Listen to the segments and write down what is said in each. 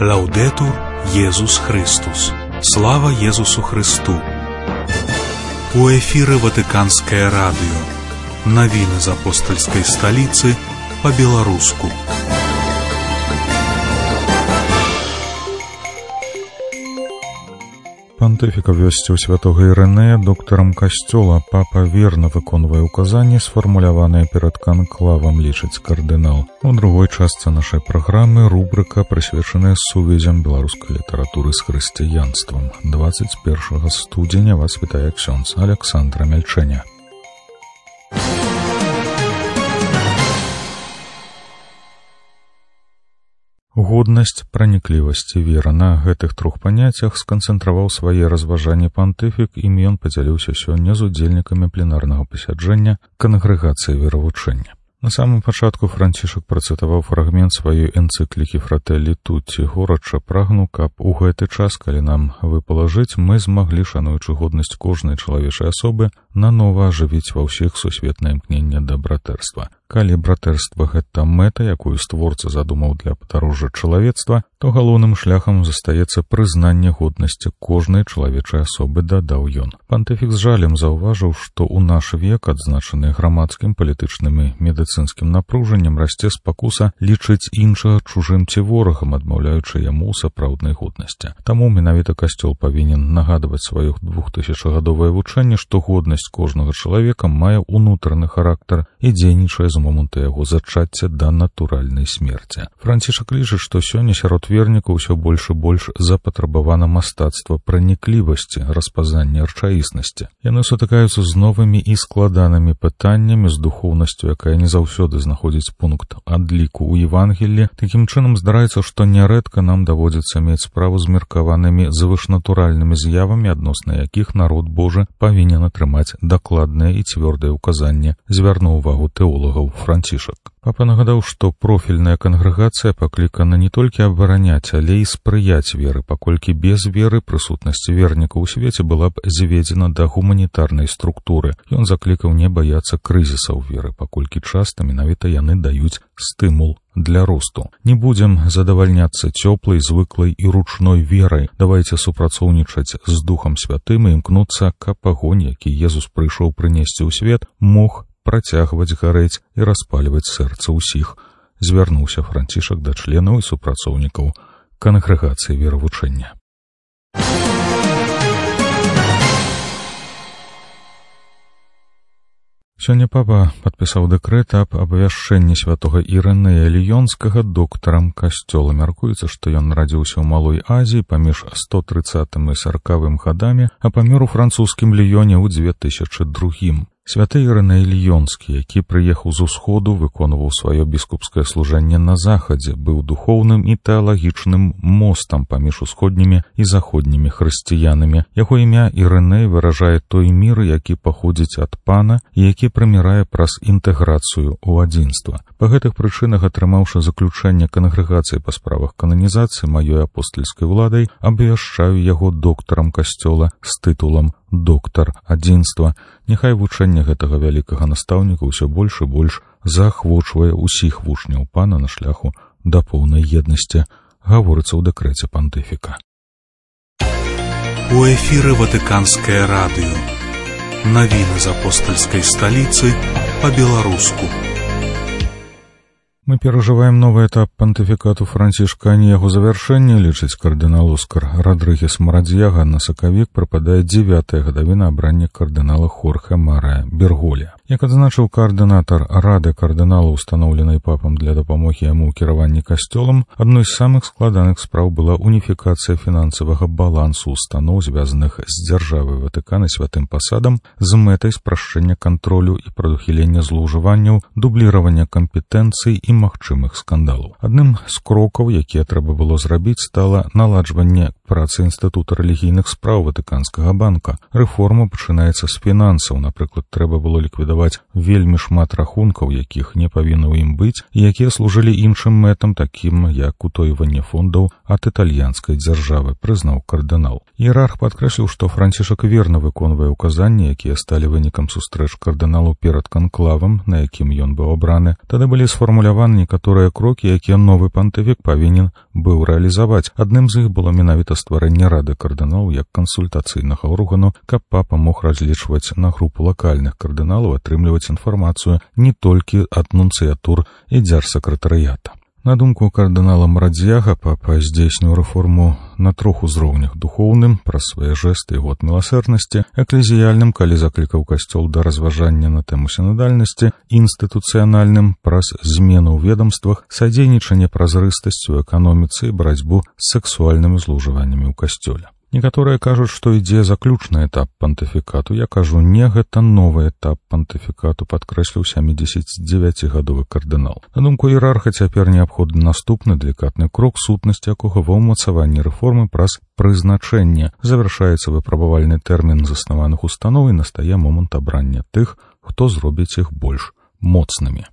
Лаудетур Єсус Христос. Слава Єсусу Христу. У эфире Ватиканское радио. Новины из апостольской столицы по-белорусски. Пантыфік абвясціў святога Ірынея доктарам касцёла. Папа верна выконвае указанні, сфармуляваныя перад канклавам, лічыць кардынал. У другой частцы нашай праграмы рубрыка, прысвечаная сувязям беларускай літаратуры з хрысціянствам. 21 студзеня вас вітае ксёндз Александра Мяльчэня. Годнасць, праніклівасць і вера. На гэтых трох паняццях сканцэнтраваў свае разважанні пантыфік, ім ён падзяліўся сёння з удзельнікамі пленарнага пасяджэння кангрэгацыі веравучэння. На самым пачатку Францішак працытаваў фрагмент сваёй энцыклікі «Фрателлі Тутті», горача прагну, каб у гэты час, калі нам выпала жыць, мы змаглі, шануючы годнасць кожнай чалавечай асобы, нанова ажывіць ва ўсіх сусветнае імкненне да братэрства. Калі братэрства — гэта мэта, якую створца задумаў для падарожжа чалавецтва, то галоўным шляхам застаецца прызнанне годнасці кожнай чалавечай асобы, дадаў ён. Пантыфік з жалем заўважыў, што ў наш век, адзначаны грамадскім, палітычным і медыцынскім напружаннем, расце спакуса лічыць іншага чужым ці ворагам, адмаўляючы яму ў сапраўднай годнасці. Таму менавіта касцёл павінен нагадваць сваё 2000гадовае вучэнне, што годнасць кожнага чалавека мае ўнутраны характар і дзейнічае з моманту яго зачацця да натуральнай смерці. Францішак лічыць, што сёння сярод вернікаў усё больш і больш запатрабавана мастацтва праніклівасці, распазнання рэчаіснасці. Яны сутыкаюцца з новымі і складанымі пытаннямі, з духоўнасцю, якая не заўсёды знаходзіць пункт адліку ў Евангеллі. Такім чынам здараецца, што нярэдка нам даводзіцца мець справу з меркаванымі звышнатуральнымі з'явамі, адносна якіх народ Божы павінен атрымаць дакладнае і цвёрдае ўказанне, звярнуў увагу тэолагаў Францішак. Папа нагадаў, што профільная кангрэгацыя паклікана не толькі абараняць, але і спрыяць веры, паколькі без веры прысутнасць вернікаў у свеце была б зведзена да гуманітарнай структуры. Ён заклікаў не баяцца крызісаў веры, паколькі часта менавіта яны даюць стымул для росту. Не будзем задавальняцца цёплай, звыклай і ручной верай. Давайце супрацоўнічаць з Духам Святым і імкнуцца, каб агонь, які Езус прыйшоў прынесці ў свет, мог працягваць гарэць і распальваць сэрца ўсіх. Звярнуўся Францішак да членаў і супрацоўнікаў кангрэгацыі веравучэння. Сёння папа падпісаў дэкрэт аб абвяшчэнні святога Ірынея Ліёнскага доктарам касцёла. Мяркуецца, што ён нарадзіўся ў Малой Азіі паміж 130 і 40 гадамі, а памёр у французскім Ліёне ў 2002. Святы Ірыней Ліёнскі, які прыехаў з усходу, выконваў сваё біскупскае служэнне на захадзе, быў духоўным і тэалагічным мостам паміж усходнімі і заходнімі хрысціянамі. Яго імя Ірыней выражае той мір, які паходзіць ад Пана і які прымірае праз інтэграцыю ў адзінства. Па гэтых прычынах, атрымаўшы заключэнне кангрэгацыі па справах кананізацыі маёй апостальскай уладай, абвяшчаю яго доктарам касцёла з тытулам доктар адзінства. Няхай вучэнне гэтага вялікага настаўніка ўсё больш і больш заахвочвае ўсіх вучняў Пана на шляху да поўнай еднасці, гаворыцца ў дэкрэце пантыфіка. У эфіры Ватыканскае радыё. Навіны з апостальскай сталіцы па-беларуску. Мы перажываем новы этап пантыфікату Францішка, а не яго завяршэнне, лічыць кардынал Оскар Радрыгес Марадзьяга. На сакавік прыпадае 9-я гадавіна абрання кардынала Хорхе Марыя Берголя. Як адзначыў каардынатар Рады кардынала, устаноўленай папам для дапамогі яму ў кіраванні касцёлам, адной з самых складаных спраў была уніфікацыя фінансавага балансу устаноў, звязаных з дзяржавай Ватыкана святым пасадам, з мэтай спрашчэння кантролю і прадухілення злоўжыванняў, дубліравання кампетэнцый і магчымых скандалаў. Адным з крокаў, якія трэба было зрабіць, стала наладжванне працы інстытута рэлігійных спраў Ватыканскага банка. Рэформа пачынаецца з фінансаў. Напрыклад, трэба было ліквідаваць вельмі шмат рахункаў, якіх не павінна ў ім быць, і якія служылі іншым мэтам, такім як утойванне фондаў ад італьянскай дзяржавы, прызнаў кардынал. Іерарх падкрэсліў, што Францішак верна выконвае указанні, якія сталі вынікам сустрэч кардыналу перад канклавам, на якім ён быў абраны. Тады былі сфармуляваны некаторыя крокі, якія новы пантыфік павінен быў рэалізаваць. Адным з іх было менавіта стварэнне рады кардыналаў як кансультацыйнага органу, каб папа мог разлічваць на групу лакальных кардыналаў, атрымліваць інфармацыю не толькі ад нунцыятур і дзярсакратарыята. На думку кардынала Марадзьяга, папа здзейсніў рэформу на трох узроўнях: духоўным, праз свае жэсты і год міласэрнасці, эклезіяльным, калі заклікаў касцёл да разважання на тэму сінадальнасці, інстытуцыянальным, праз змену ў ведамствах, садзейнічанне празрыстасцю ў эканоміцы і барацьбу з сексуальнымі злоўжываннямі ў касцёле. Некаторыя кажуць, што ідзе заключны этап пантыфікату. Я кажу, не, гэта новы этап пантыфікату, падкрэсліў 79-гадовы кардынал. На думку іерарха, цяпер неабходны наступны далікатны крок, сутнасць якога ва ўмацаванні рэформы праз прызначэнне. Завяршаецца выпрабавальны тэрмін заснаваных устаноў і настае момант абрання тых, хто зробіць іх больш моцнымі.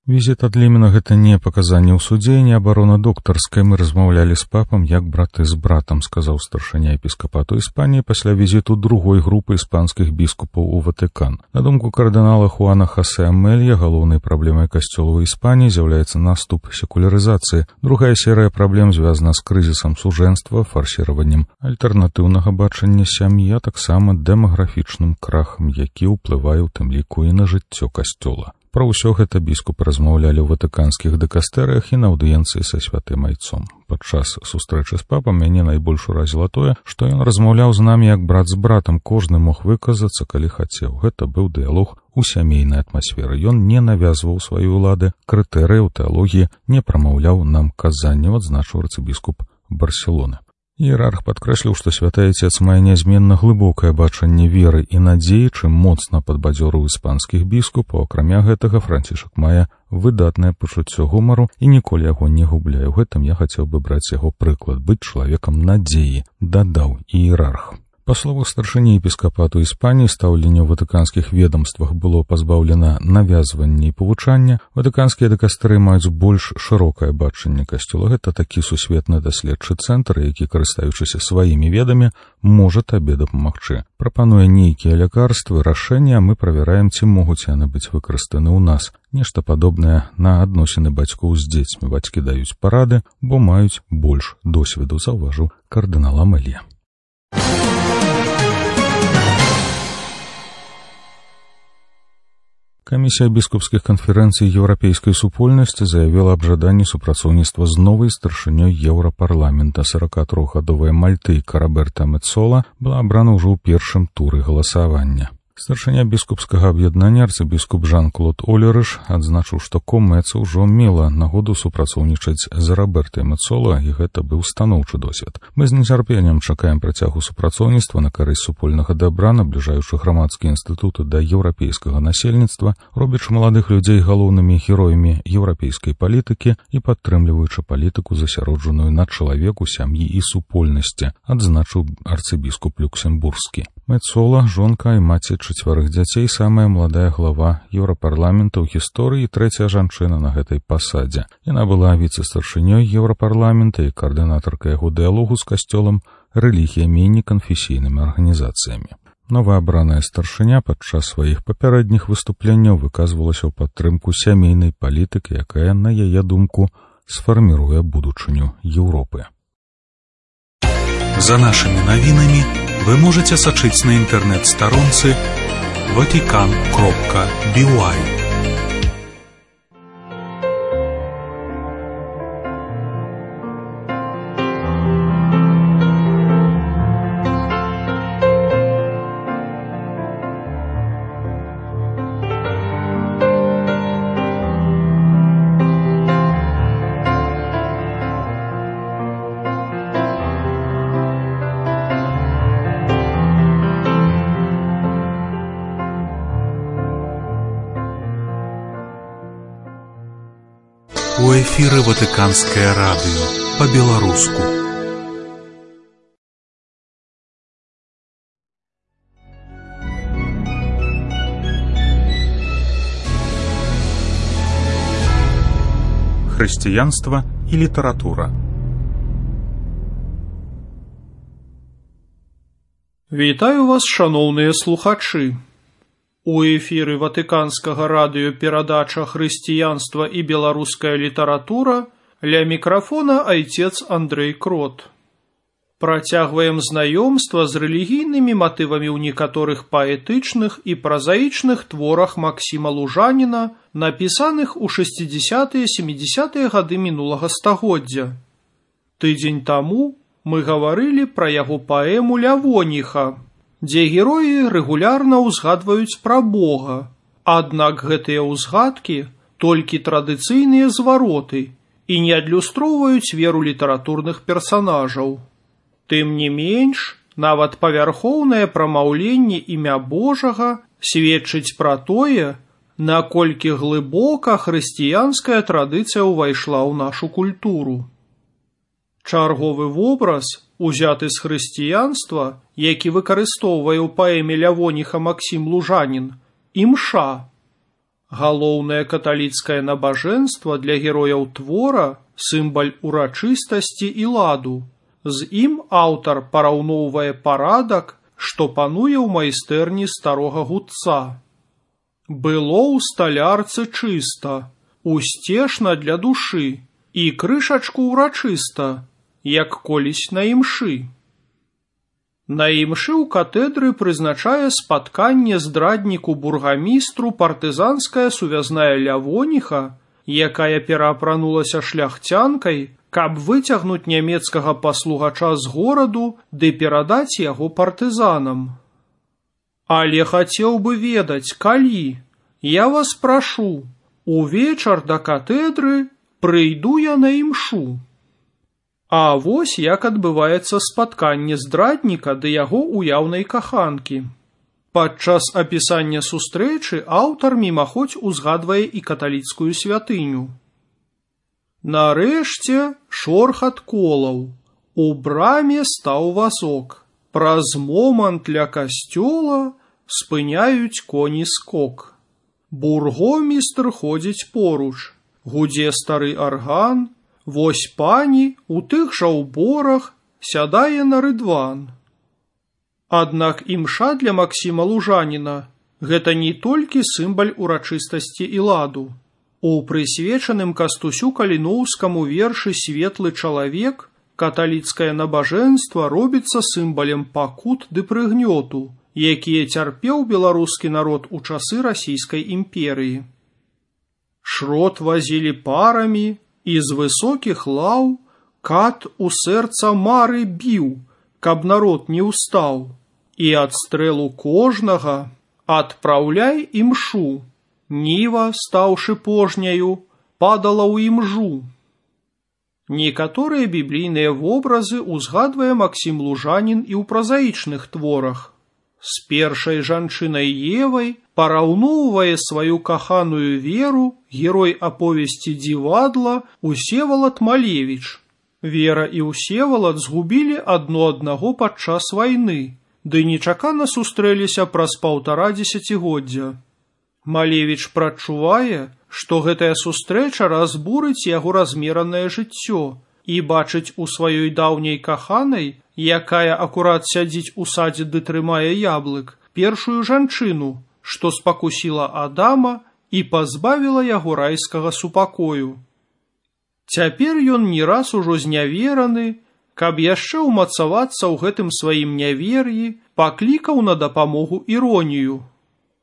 Візіт ад Лемена — гэта не паказанне ў судзе, не абарона доктарская. Мы размаўлялі з папам як браты з братам, сказаў старшыня епіскапату Іспаніі пасля візіту другой групы іспанскіх біскупаў у Ватыкан. На думку кардынала Хуана Хосе Амелья, галоўнай праблемай касцёла ў Іспаніі з'яўляецца наступ секулярызацыі. Другая серыя праблем звязана з крызісам сужэнства, фарсіраваннем альтэрнатыўнага бачання сям'і, а таксама дэмаграфічным крахам, які ўплывае ў тым ліку і на жыццё касцёла. Пра ўсё гэта біскупы размаўлялі ў ватыканскіх дэкастэрыях і на аўдыенцыі са святым айцом. Падчас сустрэчы з папам мяне найбольш уразіла тое, што ён размаўляў з намі як брат з братам, кожны мог выказацца, калі хацеў. Гэта быў дыялог у сямейнай атмасферы. Ён не навязваў свае ўлады, крытэрыяў тэалогіі, не прамаўляў нам казанняў, адзначыў арцыбіскуп Барселоны. Іерарх падкрэсліў, што святы айцец мае нязменна глыбокае бачанне веры і надзеі, чым моцна падбадзёрыў іспанскіх біскупаў. Акрамя гэтага, Францішак мае выдатнае пачуццё гумару і ніколі яго не губляе. У гэтым я хацеў бы браць яго прыклад, быць чалавекам надзеі, дадаў іерарх. Па словах старшыні епіскапату Іспаніі, стаўленне ў ватыканскіх ведамствах было пазбаўлена навязвання і павучання. Ватыканскія дэкастэры маюць больш шырокае бачанне касцёла. Гэта такі сусветны даследчы цэнтр, які, карыстаючыся сваімі ведамі, можа табе дапамагчы. Прапануе нейкія лякарствы, рашэнні, а мы правяраем, ці могуць яны быць выкарыстаны ў нас. Нешта падобнае на адносіны бацькоў з дзецьмі. Бацькі даюць парады, бо маюць больш досведу, заўважыў кардынал Амелья. Камісія біскупскіх канферэнцый еўрапейскай супольнасці заявіла аб жаданні супрацоўніцтва з новай старшынёй Еўрапарламента. 43гадовая мальтыйка Роберта Мецола была абрана ўжо ў першым туры галасавання. Старшыня біскупскага аб'яднання арцыбіскуп Жан-Клод Олерыш адзначыў, што Комэца ўжо мела нагоду супрацоўнічаць з Робертай Мецола, і гэта быў станоўчы досвед. Мы з нецярпеннем чакаем працягу супрацоўніцтва на карысць супольнага дабра, набліжаючы грамадскія інстытуты да еўрапейскага насельніцтва, робячы маладых людзей галоўнымі героямі еўрапейскай палітыкі і падтрымліваючы палітыку, засяроджаную на чалавеку, сям'і і супольнасці, адзначыў арцыбіскуп Люксембургскі. Мецола, жонка і маці 4 дзяцей, самая маладая глава Еўрапарламента ў гісторыі і 3-я жанчына на гэтай пасадзе. Яна была віцэ-старшынёй Еўрапарламента і каардынатаркай яго дыялогу з касцёлам, рэлігіямі і неканфесійнымі арганізацыямі. Новаабраная старшыня падчас сваіх папярэдніх выступленняў выказвалася ў падтрымку сямейнай палітыкі, якая, на яе думку, сфарміруе будучыню Еўропы. За нашими новинами вы можете сачыць на інтэрнэт-старонцы vatican.by. У эфіры Ватыканскае радыё па-беларуску. хрысціянства і літаратура. Вітаю вас, шаноўныя слухачы. У эфіры Ватыканскага радыёперадача «Хрысціянства і беларуская літаратура», ля мікрафона айцец Андрэй Крот. Працягваем знаёмства з рэлігійнымі матывамі ў некаторых паэтычных і празаічных творах Максіма Лужаніна, напісаных у 60-70-е гады мінулага стагоддзя. Тыдзень таму мы гаварылі пра яго паэму «Лявоніха», дзе героі рэгулярна ўзгадваюць пра Бога, аднак гэтыя ўзгадкі толькі традыцыйныя звароты і не адлюстроўваюць веру літаратурных персанажаў. Тым не менш, нават павярхоўнае прамаўленне імя Божага сведчыць пра тое, наколькі глыбока хрысціянская традыцыя ўвайшла ў нашу культуру. Чарговы вобраз, узяты з хрысціянства, які выкарыстоўвае ў паэме «Лявоніха» Максім Лужанін, імша. Галоўнае каталіцкае набажэнства для герояў твора – сімвал урачыстасці і ладу. З ім аўтар параўноўвае парадак, што пануе ў майстэрні старога гудца. Было ў сталярцы чыста, усцешна для душы, і крышачку ўрачыста, як колісь на імшы. На імшы ў катедры прызначае спатканне здрадніку бургамістру партызанская сувязная Лявоніха, якая пераапранулася шляхцянкай, каб выцягнуць нямецкага паслугача з гораду ды перадаць яго партызанам. Але хацеў бы ведаць, калі, я вас прашу, увечар да катедры прыйду я на імшу. А вось як адбываецца спатканне здрадніка ды яго уяўнай каханкі. Падчас апісання сустрэчы аўтар мімаходзь узгадвае і каталіцкую святыню. Нарэшце шорхат колаў, у браме стаў вазок, праз момант ля касцёла спыняюць коні скок. Бургомістр ходзіць поруч, гудзе стары арган, вось пані у тых жа ўборах сядае на рыдван. Аднак імша для Максіма Лужаніна гэта не толькі сімвал урачыстасці і ладу. У прысвечаным Кастусю Каліноўскаму вершы «Светлы чалавек» каталіцкае набажэнства робіцца сімвалем пакут ды прыгнёту, якія цярпеў беларускі народ у часы расійскай імперыі. Шрот вазілі парамі, і з высокіх лаў кат у сэрца мары біў, каб народ не ўстаў, і ад стрэлу кожнага адпраўляй імшу, ніва, стаўшы пожняю, падала ў імжу. Некаторыя біблійныя вобразы ўзгадвае Максім Лужанін і ў празаічных творах. З першай жанчынай Евай параўноўвае сваю каханую Веру герой аповесці «Дзівадла» Усевалад Малевіч. Вера і Усевалад згубілі адно аднаго падчас вайны, ды нечакана сустрэліся праз 1,5 дзесяцігоддзя. Малевіч прадчувае, што гэтая сустрэча разбурыць яго размеранае жыццё і бачыць у сваёй даўняй каханай, якая акурат сядзіць у садзе ды трымае яблык, першую жанчыну, што спакусіла Адама і пазбавіла яго райскага супакою. Цяпер ён не раз ужо знявераны, каб яшчэ ўмацавацца ў гэтым сваім нявер'і, паклікаў на дапамогу іронію.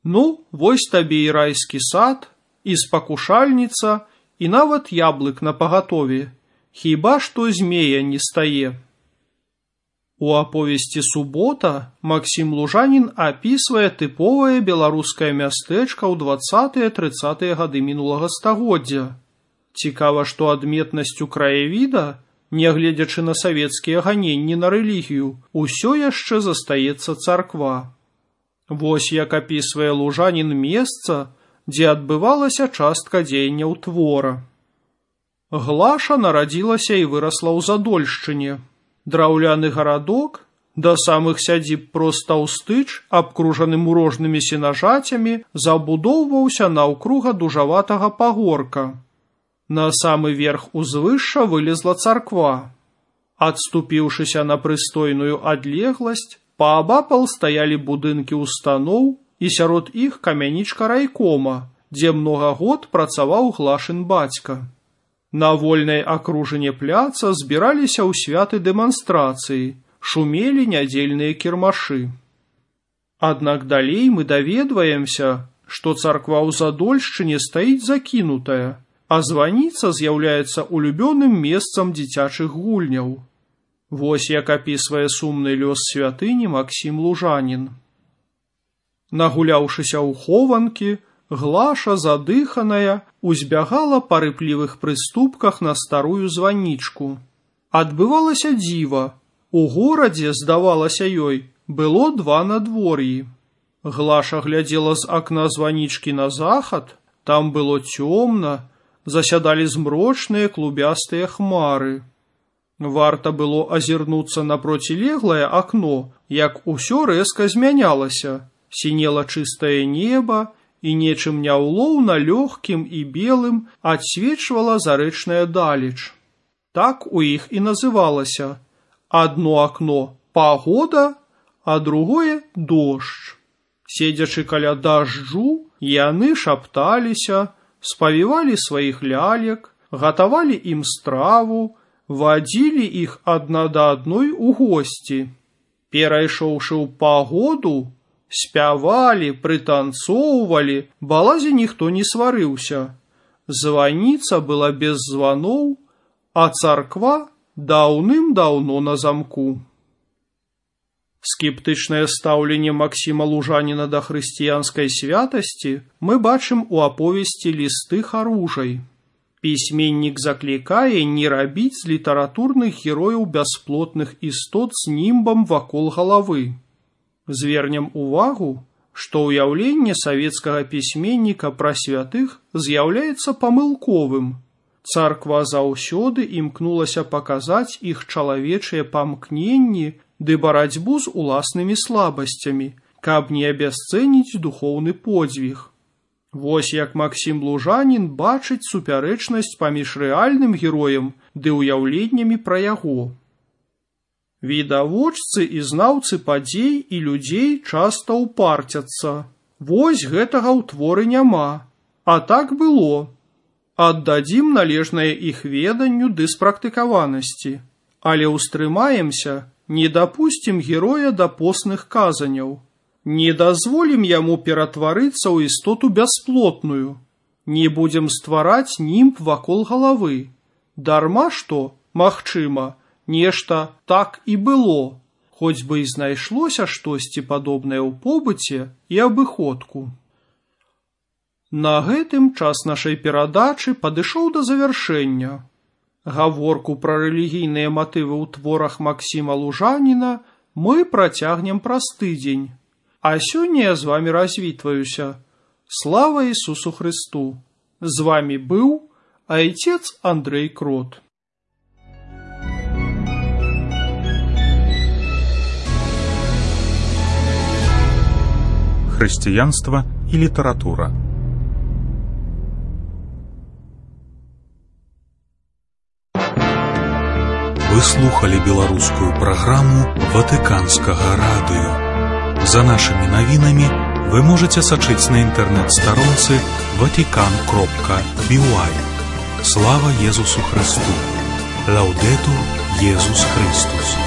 Ну, вось табе і райскі сад, і спакушальніца, і нават яблык напагатове. Хіба што змея не стае. У аповесці «Субота» Максім Лужанін апісвае тыповае беларускае мястэчка ў 20-30-е гады мінулага стагоддзя. Цікава, што адметнасцю краявіда, нягледзячы на савецкія ганенні на рэлігію, усё яшчэ застаецца царква. Вось як апісвае Лужанін месца, дзе адбывалася частка дзеянняў твора. Глаша нарадзілася і вырасла ў Задольшчыне. Драўляны гарадок, да самых сядзіб проста ўстыч, абкружаны мурожнымі сенажацямі, забудоўваўся наўкруга дужаватага пагорка. На самы верх узвышша вылезла царква. Адступіўшыся на прыстойную адлегласць, паабапал стаялі будынкі устаноў і сярод іх камянічка райкома, дзе многа год працаваў Глашын бацька. На вольнай акружыне пляца збіраліся ў святы дэманстрацыі, шумелі нядзельныя кірмашы. Аднак далей мы даведваемся, што царква ў Задольшчыне стаіць закінутая, а званіца з'яўляецца улюбёным месцам дзіцячых гульняў. Вось як апісвае сумны лёс святыні Максім Лужанін. Нагуляўшыся ў хованкі, Глаша, задыханая, узбягала па рыплівых прыступках на старую званічку. Адбывалася дзіва. У горадзе, здавалася ёй, было 2 надвор'і. Глаша глядзела з акна званічкі на захад, там было цёмна, засядалі змрочныя клубястыя хмары. Варта было азірнуцца на процілеглае акно, як усё рэзка змянялася, сінела чыстае неба, і нечым няўлоўна лёгкім і белым адсвечвала зарэчная далеч. Так у іх і называлася. Адно акно пагода, а другое дождж. Седзячы каля дажджу, яны шапталіся, спавівалі сваіх лялек, гатавалі ім страву, вадзілі іх адна да адной у госці. Перайшоўшы ў пагоду, спявалі, прытанцоўвалі, балазе ніхто не сварыўся. Званіца была без званоў, а царква даўным-даўно на замку. Скептычнае стаўленне Максіма Лужаніна да хрысціянскай святасці мы бачым у аповесці «Лісты харужай». Пісьменнік заклікае не рабіць з літаратурных герояў бясплотных істот з німбам вакол галавы. Звернем увагу, што ўяўленне савецкага пісьменніка пра святых з'яўляецца памылковым. Царква заўсёды імкнулася паказаць іх чалавечыя памкненні ды барацьбу з уласнымі слабасцямі, каб не абясцэніць духоўны подзвіг. Вось як Максім Лужанін бачыць супярэчнасць паміж рэальным героем ды ўяўленнямі пра яго. Відавочцы і знаўцы падзей і людзей часта ўпарцяцца. Вось гэтага ў творы няма, а так было. Аддадзім належнае іх веданню ды спрактыкаванасці, але ўстрымаемся, не дапусцім героя да постных казаняў. Не дазволім яму ператварыцца ў істоту бясплотную. Не будзем ствараць німб вакол галавы. Дарма што, магчыма, нешта так і было, хоць бы і знайшлося штосьці падобнае ў побыце і абыходку. На гэтым час нашай перадачы падышоў да завяршэння. Гаворку пра рэлігійныя матывы ў творах Максіма Лужаніна мы працягнем праз тыдзень. А сёння я з вамі развітваюся. Слава Ісусу Хрысту! З вамі быў айцец Андрэй Крот. Хрысціянства і літаратура. Вы слухали беларускую праграму Ватыканскага радыё. За нашымі навінамі вы можаце сачыць на інтэрнэт-старонцы vatican.by. Слава Езусу Христу! Лаўдэтур Езус Христус!